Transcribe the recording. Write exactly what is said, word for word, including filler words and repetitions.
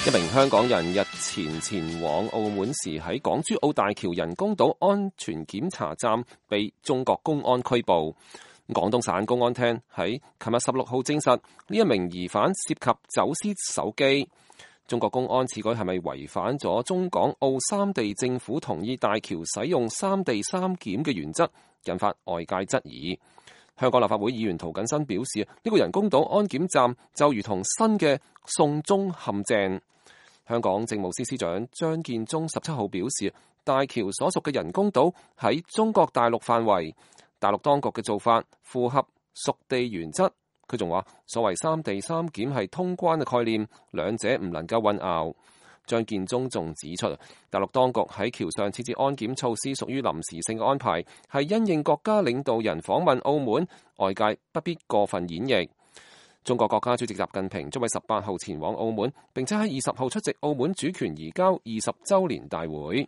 一名香港人日前前往澳門時，喺港珠澳大橋人工島安全檢查站被中國公安拘捕。廣東省公安廳喺琴日十六號證實，呢一名疑犯涉及走私手機。中國公安此舉係咪違反咗中港澳三地政府同意大橋使用三地三檢嘅原則，引發外界質疑。香港立法會議員涂謹申表示，呢個人工島安檢站就如同新嘅送中陷阱。香港政務司司長張建宗十七號表示，大橋所屬嘅人工島喺中國大陸範圍，大陸當局嘅做法符合屬地原則。佢仲話，所謂三地三檢係通關嘅概念，兩者唔能夠混淆。張建宗仲指出，大陸當局喺橋上設置安檢措施屬於臨時性嘅安排，係因應國家領導人訪問澳門，外界不必過分演繹。中國國家主席習近平將喺十八號前往澳門，並且喺二十號出席澳門主權移交二十週年大會。